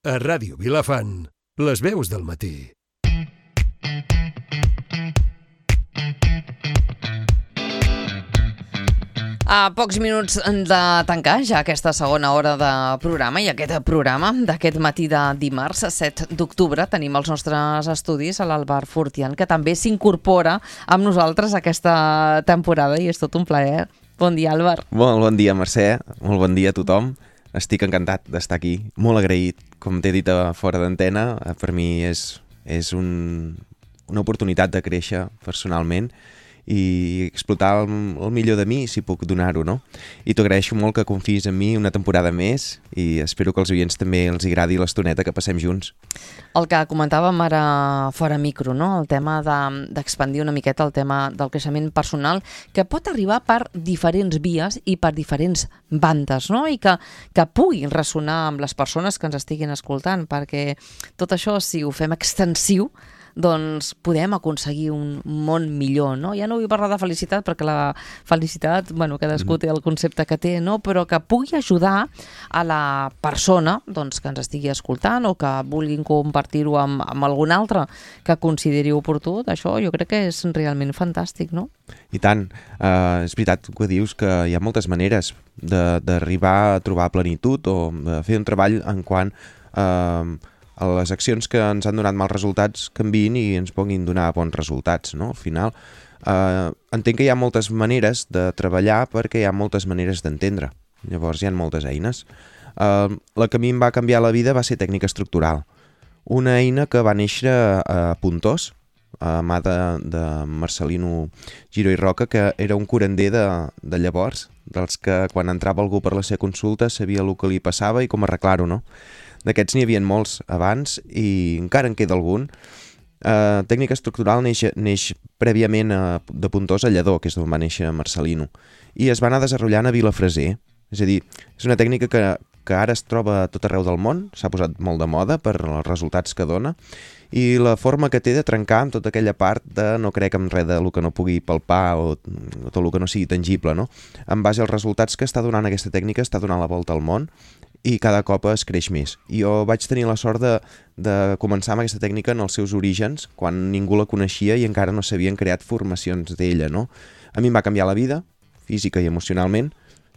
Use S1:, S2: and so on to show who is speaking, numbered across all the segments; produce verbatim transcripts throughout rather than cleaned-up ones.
S1: A Ràdio Vilafant, les veus del matí.
S2: A pocs minuts de tancar ja aquesta segona hora de programa i aquest programa d'aquest matí de dimarts, set d'octubre, tenim els nostres estudis a l'Àlvar Fortián, que també s'incorpora amb nosaltres aquesta temporada i és tot un plaer. Bon dia, Àlvar.
S3: Molt bon dia, Mercè. Molt bon dia a tothom. Estic encantat d'estar aquí, molt agraït. Com t'he dit a fora d'antena, per mi és, és un, una oportunitat de créixer personalment i explotar el, el millor de mi, si puc donar-ho, no? I t'ho agraeixo molt que confiïs en mi una temporada més i espero que als oients també els agradi l'estoneta que passem junts.
S2: El que comentàvem ara fora micro, no? El tema de, d'expandir una miqueta el tema del creixement personal, que pot arribar per diferents vies i per diferents bandes, no? I que, que pugui ressonar amb les persones que ens estiguin escoltant, perquè tot això, si ho fem extensiu, doncs podem aconseguir un món millor, no? Ja no vull parlar de felicitat, perquè la felicitat, bueno, cadascú té el concepte que té, no? Però que pugui ajudar a la persona, doncs, que ens estigui escoltant o que vulguin compartir-ho amb, amb algun altre que consideri oportú. Això jo crec que és realment fantàstic, no?
S3: I tant. Uh, és veritat que dius que hi ha moltes maneres de, d'arribar a trobar plenitud o de fer un treball en quant uh, a les accions que ens han donat mals resultats canviïn i ens puguin donar bons resultats, no? Al final, eh, entenc que hi ha moltes maneres de treballar perquè hi ha moltes maneres d'entendre. Llavors hi ha moltes eines. Eh, la que a mi em va canviar la vida va ser tècnica estructural. Una eina que va néixer a Pontós, a mà de, de Marcelino Giró i Roca, que era un curander de, de llavors, dels que quan entrava algú per la seva consulta sabia el que li passava i com arreglar-ho, no? D'aquests n'hi havia molts abans i encara en queda algun. Uh, tècnica estructural neix, neix prèviament a, de Pontós a Lledó, que és d'on va néixer Marcelino, i es va anar desenvolupant a Vilafreser. És a dir, és una tècnica que, que ara es troba a tot arreu del món, s'ha posat molt de moda per els resultats que dona, i la forma que té de trencar amb tota aquella part de no crec en res de lo que no pugui palpar o, o tot el que no sigui tangible, no? En base als resultats que està donant aquesta tècnica, està donant la volta al món, i cada cop es creix més. I jo vaig tenir la sort de, de començar amb aquesta tècnica en els seus orígens, quan ningú la coneixia i encara no s'havien creat formacions d'ella, no? A mi em va canviar la vida, física i emocionalment,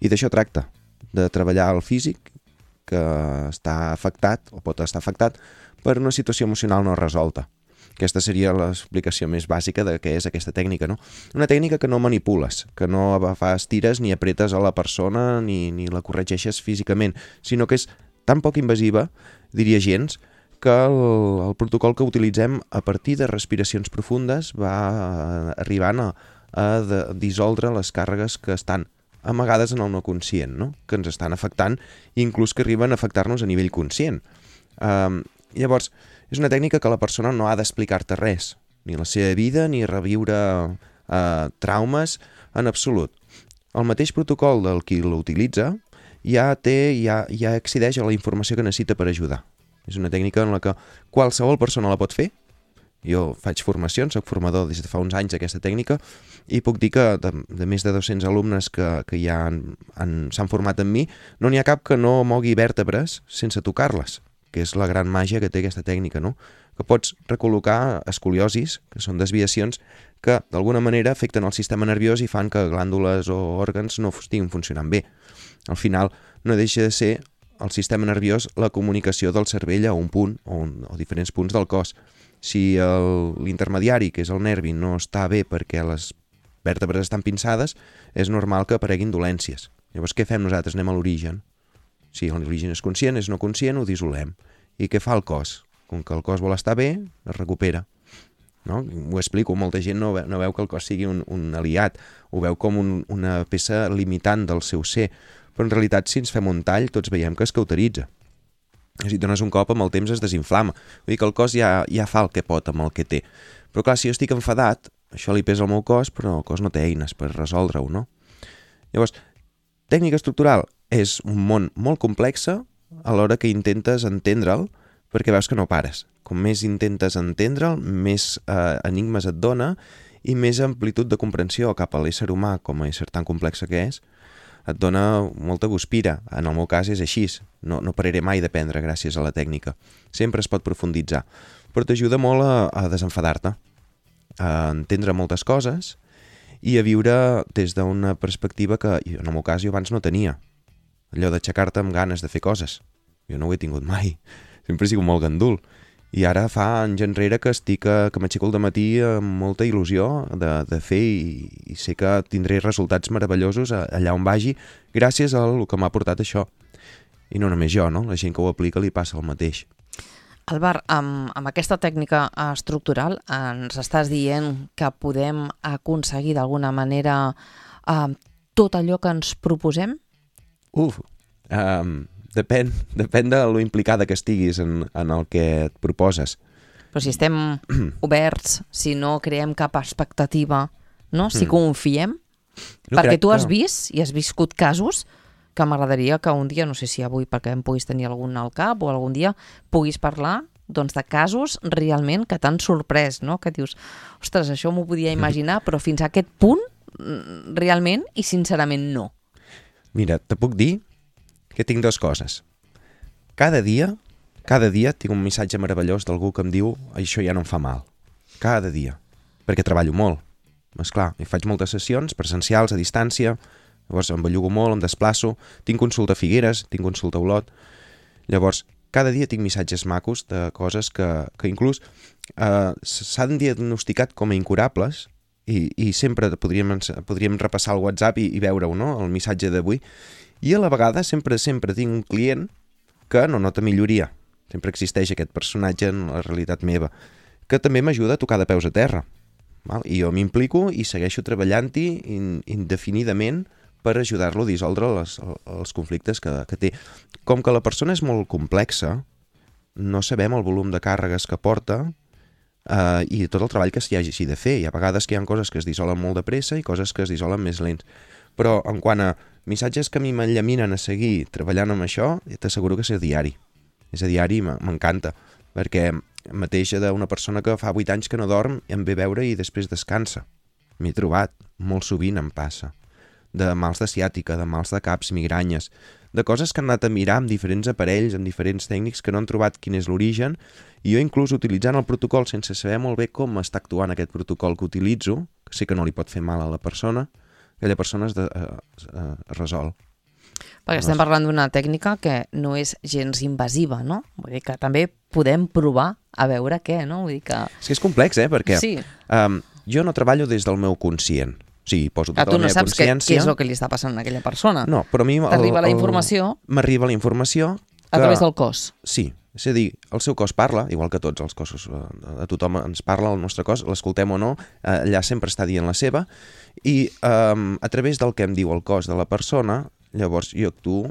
S3: i d'això tracta, de treballar el físic, que està afectat, o pot estar afectat, per una situació emocional no resolta. Aquesta seria l'explicació més bàsica de què és aquesta tècnica, no? Una tècnica que no manipules, que no fas tires ni apretes a la persona ni, ni la corregeixes físicament, sinó que és tan poc invasiva, diria gens, que el, el protocol que utilitzem a partir de respiracions profundes va arribant a, a de, dissoldre les càrregues que estan amagades en el no conscient, no? Que ens estan afectant i inclús que arriben a afectar-nos a nivell conscient. Um, llavors, és una tècnica que la persona no ha d'explicar-te res, ni la seva vida, ni reviure eh, traumes, en absolut. El mateix protocol del qui l'utilitza ja té, ja, ja accedeix a la informació que necessita per ajudar. És una tècnica en la que qualsevol persona la pot fer. Jo faig formacions, soc formador des de fa uns anys d'aquesta tècnica i puc dir que de, de més de dos-cents alumnes que, que ja han, han, s'han format amb mi, no n'hi ha cap que no mogui vèrtebres sense tocar-les, que és la gran màgia que té aquesta tècnica, no? Que pots recol·locar escoliosis, que són desviacions que d'alguna manera afecten el sistema nerviós i fan que glàndules o òrgans no estiguin funcionant bé. Al final no deixa de ser el sistema nerviós la comunicació del cervell a un punt o, un, o diferents punts del cos. Si el, l'intermediari, que és el nervi, no està bé perquè les vèrtebres estan pinçades, és normal que apareguin dolències. Llavors què fem nosaltres? Anem a l'origen. Si l'origen és conscient, és no conscient, ho dissolem. I què fa el cos? Com que el cos vol estar bé, es recupera. No? Ho explico, molta gent no veu, no veu que el cos sigui un, un aliat, ho veu com un, una peça limitant del seu ser, però en realitat si ens fem un tall tots veiem que es cauteritza. Si dones un cop amb el temps es desinflama. Vull dir que el cos ja, ja fa el que pot amb el que té. Però clar, si jo estic enfadat, això li pesa al meu cos, però el cos no té eines per resoldre-ho, no? Llavors, tècnica estructural és un món molt complex a l'hora que intentes entendre'l perquè veus que no pares. Com més intentes entendre'l, més eh, enigmes et dona i més amplitud de comprensió cap a l'ésser humà com a ésser tan complex que és et dona molta guspira. En el meu cas és així, no, no pararé mai d'aprendre gràcies a la tècnica. Sempre es pot profunditzar, però t'ajuda molt a, a desenfadar-te, a entendre moltes coses i a viure des d'una perspectiva que, en el meu cas, jo abans no tenia. Allò d'aixecar-te amb ganes de fer coses. Jo no ho he tingut mai. Sempre he sigut molt gandul. I ara fa anys enrere que estic, que m'aixeco al dematí amb molta il·lusió de, de fer i, i sé que tindré resultats meravellosos allà on vagi gràcies al que m'ha portat això. I no només jo, no? La gent que ho aplica li passa el mateix.
S2: Álvar, amb, amb aquesta tècnica estructural ens estàs dient que podem aconseguir d'alguna manera eh, tot allò que ens proposem?
S3: Uf, um, depèn, depèn de lo implicada que estiguis en, en el que et proposes.
S2: Però si estem oberts, si no creem cap expectativa, no? Si
S3: Mm.
S2: confiem,
S3: No
S2: perquè
S3: crec
S2: tu has
S3: que-
S2: vist i has viscut casos que m'agradaria que un dia, no sé si avui perquè em puguis tenir algun al cap o algun dia puguis parlar doncs, de casos realment que t'han sorprès, no? Que dius, ostres, això m'ho podia imaginar, però fins a aquest punt mm, realment i sincerament no.
S3: Mira, te puc dir que tinc dues coses. Cada dia, cada dia tinc un missatge meravellós d'algú que em diu això ja no em fa mal. Cada dia. Perquè treballo molt. Esclar, i faig moltes sessions presencials a distància, llavors em bellugo molt, em desplaço, tinc consulta a Figueres, tinc consulta a Olot. Llavors, cada dia tinc missatges macos de coses que, que inclús eh, s'han diagnosticat com a incurables i, i sempre podríem, podríem repassar el WhatsApp i, i veure-ho, no?, el missatge d'avui. I a la vegada sempre, sempre tinc un client que no nota milloria. Sempre existeix aquest personatge en la realitat meva, que també m'ajuda a tocar de peus a terra. Val? I jo m'implico i segueixo treballant-hi in, indefinidament per ajudar-lo a dissoldre les, els conflictes que, que té. Com que la persona és molt complexa, no sabem el volum de càrregues que porta eh, i tot el treball que s'hi hagi de fer. Hi ha vegades que hi ha coses que es dissolen molt de pressa i coses que es dissolen més lents. Però en quant a missatges que a mi m'enllaminen a seguir treballant amb això, t'asseguro que és a diari. És a diari i m'encanta, perquè mateix d'una persona que fa vuit anys que no dorm i em ve a veure i després descansa. M'he trobat, molt sovint em passa. De mals de ciàtica, de mals de caps, migranyes, de coses que han anat a mirar amb diferents aparells, amb diferents tècnics que no han trobat quin és l'origen, i jo inclús utilitzant el protocol sense saber molt bé com està actuant aquest protocol que utilitzo, que sé que no li pot fer mal a la persona, aquella persona es, de, es, es resol.
S2: Perquè estem parlant d'una tècnica que no és gens invasiva, no? Vull dir que també podem provar a veure què, no? Vull dir que...
S3: És que és complex, eh? Perquè
S2: sí.
S3: um, jo no treballo des del meu conscient. O sigui, poso
S2: Ah,
S3: tota
S2: tu
S3: la
S2: no
S3: meva
S2: saps què,
S3: consciència...
S2: què és el que li està passant a aquella persona.
S3: No, però a mi... el-
S2: T'arriba la
S3: el-
S2: informació
S3: M'arriba la informació...
S2: a
S3: que-
S2: través del cos.
S3: Sí, és a dir, el seu cos parla, igual que tots els cossos, eh, a tothom ens parla el nostre cos, l'escoltem o no, eh, allà sempre està dient la seva, i eh, a través del que em diu el cos de la persona, llavors jo actuo,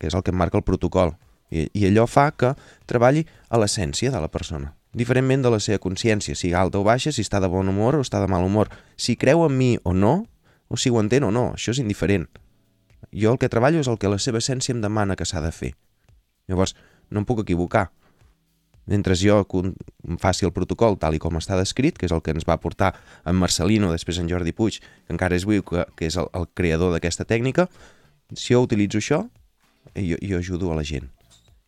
S3: que és el que em marca el protocol, i, i allò fa que treballi a l'essència de la persona, diferentment de la seva consciència, si alta o baixa, si està de bon humor o està de mal humor, si creu en mi o no, o si ho entén o no, això és indiferent. Jo el que treballo és el que la seva essència em demana que s'ha de fer. Llavors, no em puc equivocar. Mentre jo em faci el protocol tal i com està descrit, que és el que ens va portar en Marcelino, després en Jordi Puig, que encara és viu, que, que és el, el creador d'aquesta tècnica, si jo utilitzo això, jo, jo ajudo a la gent.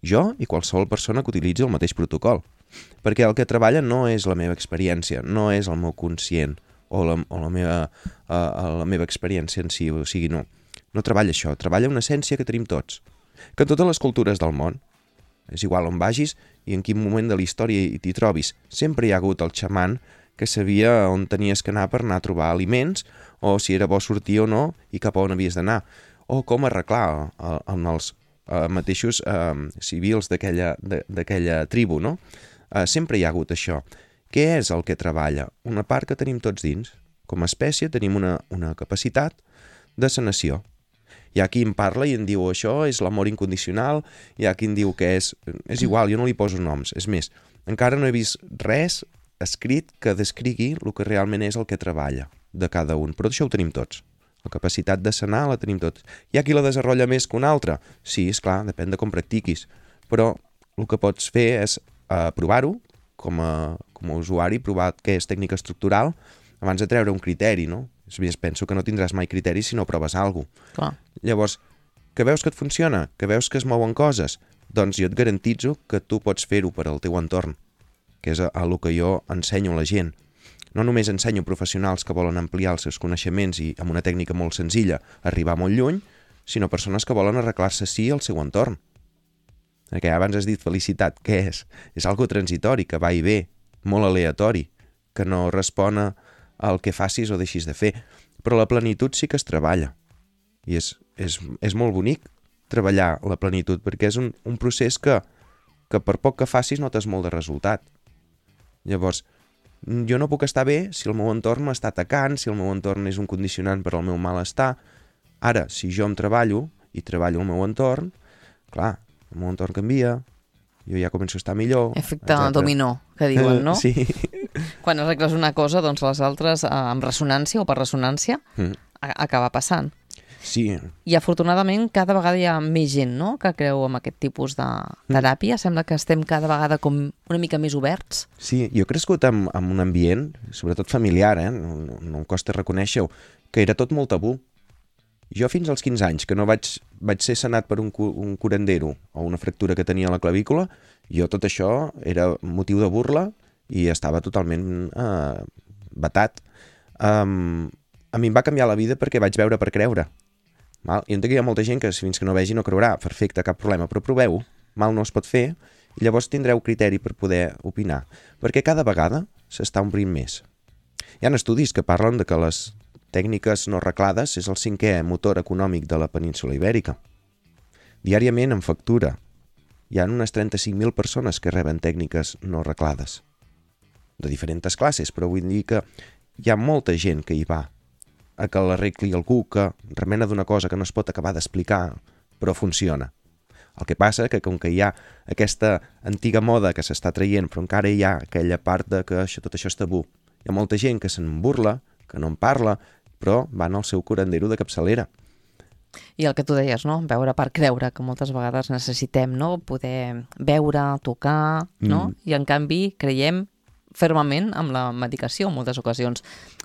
S3: Jo i qualsevol persona que utilitzi el mateix protocol. Perquè el que treballa no és la meva experiència, no és el meu conscient o la, o la, meva, uh, la meva experiència en si, o sigui, no. No treballa això, treballa una essència que tenim tots. Que en totes les cultures del món, és igual on vagis i en quin moment de la història t'hi trobis, sempre hi ha hagut el xaman que sabia on tenies que anar per anar a trobar aliments, o si era bo sortir o no, i cap a on havies d'anar, o com arreglar eh, en els eh, mateixos eh, civils d'aquella d'aquella tribu, no? Eh, sempre hi ha hagut això. Què és el que treballa? Una part que tenim tots dins. Com a espècie tenim una, una capacitat de sanació. Hi ha qui em parla i em diu això és l'amor incondicional, hi ha qui em diu que és... És igual, jo no li poso noms. És més, encara no he vist res escrit que descrigui el que realment és el que treballa de cada un. Però això ho tenim tots. La capacitat de sanar la tenim tots. Hi ha qui la desenvolupa més que un altre? Sí, és clar, depèn de com practiquis. Però el que pots fer és uh, provar-ho com a, com a usuari, provar què és tècnica estructural abans de treure un criteri, no? És més, penso que no tindràs mai criteri si no proves alguna cosa. Llavors, que veus que et funciona, que veus que es mouen coses, doncs jo et garantitzo que tu pots fer-ho per al teu entorn, que és a, a lo que jo ensenyo a la gent. No només ensenyo professionals que volen ampliar els seus coneixements i amb una tècnica molt senzilla arribar molt lluny, sinó persones que volen arreglar-se sí al seu entorn. Perquè abans has dit felicitat, què és? És algo transitori, que va i ve, molt aleatori, que no respon al que facis o deixis de fer. Però la plenitud sí que es treballa. I és, és, és molt bonic treballar la plenitud, perquè és un, un procés que, que per poc que facis notes molt de resultat. Llavors, jo no puc estar bé si el meu entorn m'està atacant, si el meu entorn és un condicionant per al meu malestar. Ara, si jo em treballo i treballo el meu entorn, clar, el meu entorn canvia, jo ja començo a estar millor.
S2: Efecte
S3: etcètera.
S2: dominó, que diuen, no?
S3: Sí.
S2: Quan arregles una cosa, doncs les altres, eh, amb ressonància o per ressonància,
S3: Mm.
S2: a- acaba passant.
S3: Sí,
S2: I afortunadament cada vegada hi ha més gent, no?, que creu en aquest tipus de teràpia. Sembla que estem cada vegada com una mica més oberts.
S3: sí, jo he crescut en, en un ambient, sobretot familiar, eh? no, no, no em costa reconèixer-ho, que era tot molt tabú. Jo fins als quinze anys, que no vaig, vaig ser sanat per un, cu- un curandero o una fractura que tenia a la clavícula, jo tot això era motiu de burla i estava totalment eh, batat. Um, a mi em va canviar la vida perquè vaig veure per creure. Val? I entenc que hi ha molta gent que fins que no vegi no creurà. Perfecte, cap problema, però proveu-ho. Mal no es pot fer i llavors tindreu criteri per poder opinar. Perquè cada vegada s'està omplint més. Hi ha estudis que parlen de que les tècniques no arreglades és el cinquè motor econòmic de la península ibèrica. Diàriament en factura hi ha unes trenta-cinc mil persones que reben tècniques no arreglades. De diferents classes, però vull dir que hi ha molta gent que hi va a que l'arregli algú que remena d'una cosa que no es pot acabar d'explicar, però funciona. El que passa que com que hi ha aquesta antiga moda que s'està traient, però encara hi ha aquella part de que això, tot això és tabú. Hi ha molta gent que se'n burla, que no en parla, però van al seu curandero de capçalera.
S2: I el que tu deies, no?, veure per creure, que moltes vegades necessitem, no?, poder veure, tocar, no?,
S3: Mm.
S2: i en canvi creiem fermament amb la medicació en moltes ocasions,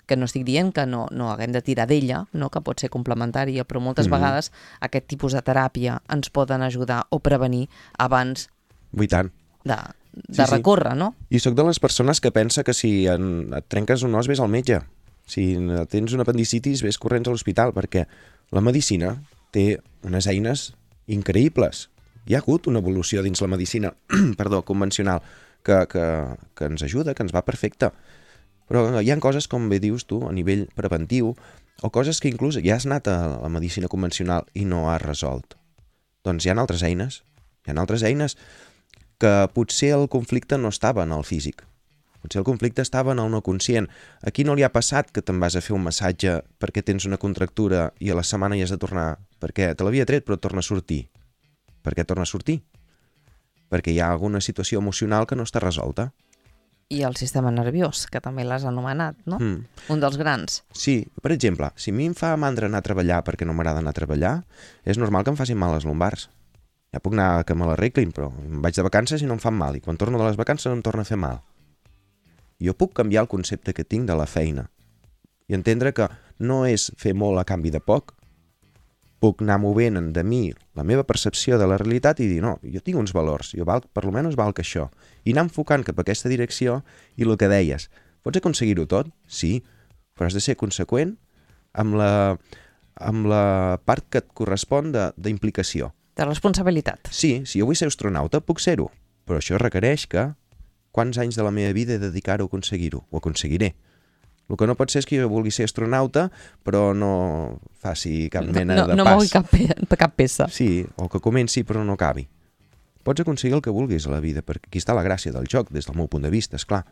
S2: que no estic dient que no, no haguem de tirar d'ella, no?, que pot ser complementària, però moltes
S3: Mhm.
S2: vegades aquest tipus de teràpia ens poden ajudar o prevenir abans
S3: I tant.
S2: de,
S3: Sí,
S2: de
S3: sí.
S2: recórrer, no?
S3: I sóc de les persones que pensa que si en, et trenques un os ves al metge. Si tens una apendicitis ves corrents a l'hospital, perquè la medicina té unes eines increïbles. Hi ha hagut una evolució dins la medicina perdó, convencional que, que, que ens ajuda, que ens va perfecte. Però hi ha coses, com bé dius tu, a nivell preventiu, o coses que inclús ja has anat a la medicina convencional i no has resolt. Doncs hi ha altres eines. Hi ha altres eines que potser el conflicte no estava en el físic. Potser el conflicte estava en el no conscient. Aquí no li ha passat que te'n vas a fer un massatge perquè tens una contractura i a la setmana hi has de tornar perquè te l'havia tret però torna a sortir. Per què torna a sortir? Perquè hi ha alguna situació emocional que no està resolta.
S2: I el sistema nerviós, que també l'has anomenat, no?
S3: Mm.
S2: Un dels grans.
S3: Sí, per exemple, si a mi em fa mandra anar a treballar perquè no m'agrada anar a treballar, és normal que em facin mal les lumbars. Ja puc anar a que me l'arreglin, però em vaig de vacances i no em fan mal, i quan torno de les vacances em torna a fer mal. Jo puc canviar el concepte que tinc de la feina i entendre que no és fer molt a canvi de poc. Puc anar movent de mi la meva percepció de la realitat i dir, no, jo tinc uns valors, jo valc, per lo menys valc això, i anar enfocant cap a aquesta direcció i el que deies, pots aconseguir-ho tot? Sí, però has de ser conseqüent amb la, amb la part que et correspon de- d'implicació.
S2: De responsabilitat.
S3: Sí, si jo vull ser astronauta, puc ser-ho, però això requereix que quants anys de la meva vida he de dedicar-ho a aconseguir-ho? Ho aconseguiré. El que no pot ser és que jo vulgui ser astronauta, però no faci cap mena
S2: no,
S3: de
S2: no
S3: pas.
S2: mogui cap, pe cap peça.
S3: Sí, o que comenci però no acabi. Pots aconseguir el que vulguis a la vida, perquè aquí està la gràcia del joc, des del meu punt de vista, és clar.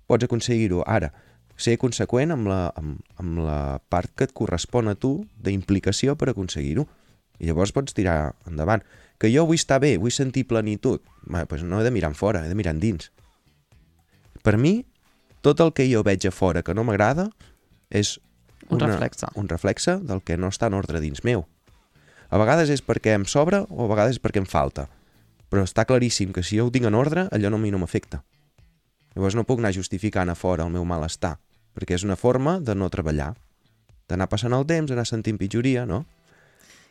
S3: Pots aconseguir-ho ara. Ser conseqüent amb la, amb, amb la part que et correspon a tu d'implicació per aconseguir-ho. I llavors pots tirar endavant. Que jo vull estar bé, vull sentir plenitud. Bé, doncs no he de mirar en fora, he de mirar endins. Per mi, tot el que jo veig a fora que no m'agrada és
S2: Un
S3: una,
S2: reflexe.
S3: un reflexe del que no està en ordre dins meu. A vegades és perquè em sobra o a vegades és perquè em falta. Però està claríssim que si jo ho tinc en ordre, allò no a mi no m'afecta. Llavors no puc anar justificant a fora el meu malestar, perquè és una forma de no treballar, d'anar passant el temps, d'anar sentint pitjoria, no?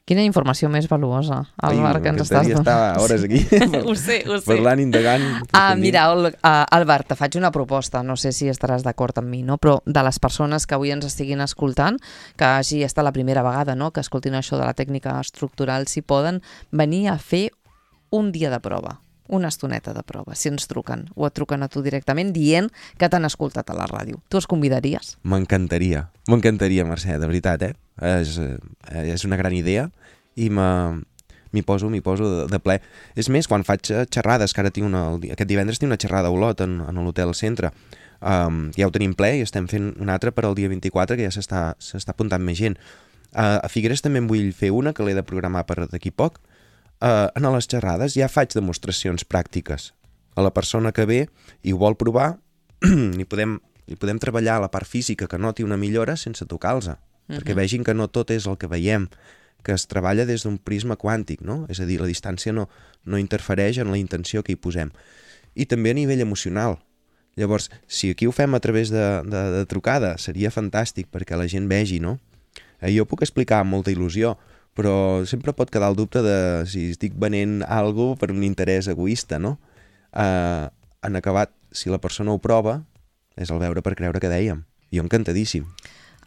S2: Quina informació més valuosa, Albert, que ens estàs
S3: donant. Estar hores aquí
S2: ho sé, ho sé.
S3: parlant, indagant.
S2: Ah, mira, uh, Albert, te faig una proposta, no sé si estaràs d'acord amb mi, no? Però de les persones que avui ens estiguin escoltant, que hagi estat la primera vegada, no?, que escoltin això de la tècnica estructural, si poden venir a fer un dia de prova, una estoneta de prova, si ens truquen, o et truquen a tu directament dient que t'han escoltat a la ràdio. Tu els convidaries?
S3: M'encantaria, m'encantaria, Mercè, de veritat, eh? És, és una gran idea i m'hi poso, m'hi poso de, de ple. És més, quan faig xerrades, que ara tinc una, aquest divendres tinc una xerrada a Olot, en, en l'Hotel Centre, um, ja ho tenim ple i estem fent una altra per al dia vint-i-quatre, que ja s'està s'està apuntant més gent. Uh, a Figueres també en vull fer una, que l'he de programar per d'aquí poc. Uh, en les xerrades ja faig demostracions pràctiques a la persona que ve i ho vol provar i podem, i podem treballar la part física que noti una millora sense tocar-los, uh-huh. perquè vegin que no tot és el que veiem, que es treballa des d'un prisma quàntic, no? És a dir, la distància no, no interfereix en la intenció que hi posem. I també a nivell emocional. Llavors, si aquí ho fem a través de, de, de trucada, seria fantàstic perquè la gent vegi, no? Eh, jo puc explicar amb molta il·lusió, però sempre pot quedar el dubte de si estic venent alguna cosa per un interès egoista, no? Uh, en acabat, si la persona ho prova, és el veure per creure que dèiem. Jo encantadíssim.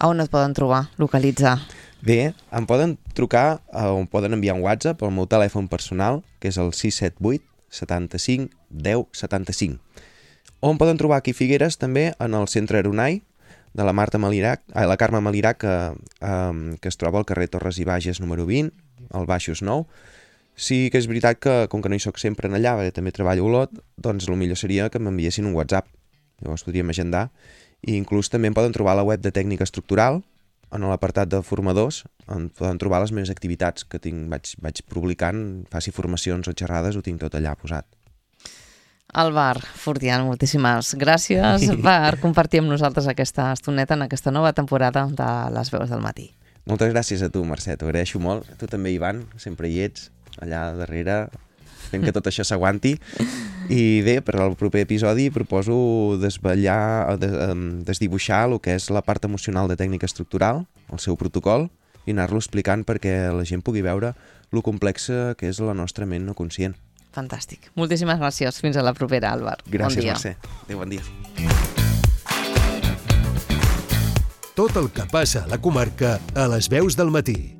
S2: A on et poden trobar, localitzar?
S3: Bé, em poden trucar o em poden enviar un WhatsApp al meu telèfon personal, que és el sis set vuit, setanta-cinc, deu, setanta-cinc. O em poden trobar aquí a Figueres també en el Centre Aronai, de la Marta Malirac, eh, la Carme Malirac, que, eh, que es troba al carrer Torres i Bages número vint, al Baixos nou. Sí que és veritat que, com que no hi soc sempre en allà, perquè també treballo a Olot, doncs el millor seria que m'enviessin un WhatsApp. Llavors podríem agendar. I inclús també em poden trobar a la web de Tècnica Estructural, en l'apartat de formadors, on poden trobar les meves activitats que tinc, vaig, vaig publicant, faci formacions o xerrades, ho tinc tot allà posat.
S2: Albert Fortián, moltíssimes gràcies per compartir amb nosaltres aquesta estoneta en aquesta nova temporada de Les Veus del Matí.
S3: Moltes gràcies a tu, Mercè, t'ho agraeixo molt. A tu també, Ivan, sempre hi ets, allà darrere, fent que tot això s'aguanti. I bé, per al proper episodi proposo desvetllar, des, desdibuixar el que és la part emocional de tècnica estructural, el seu protocol, i anar-lo explicant perquè la gent pugui veure lo complexa que és la nostra ment no conscient.
S2: Fantàstic. Moltíssimes gràcies. Fins a la propera, Albert.
S3: Gràcies,
S2: bon dia.
S3: Mercè. Adéu, bon dia.
S1: Tot el que passa a la comarca a Les Veus del Matí.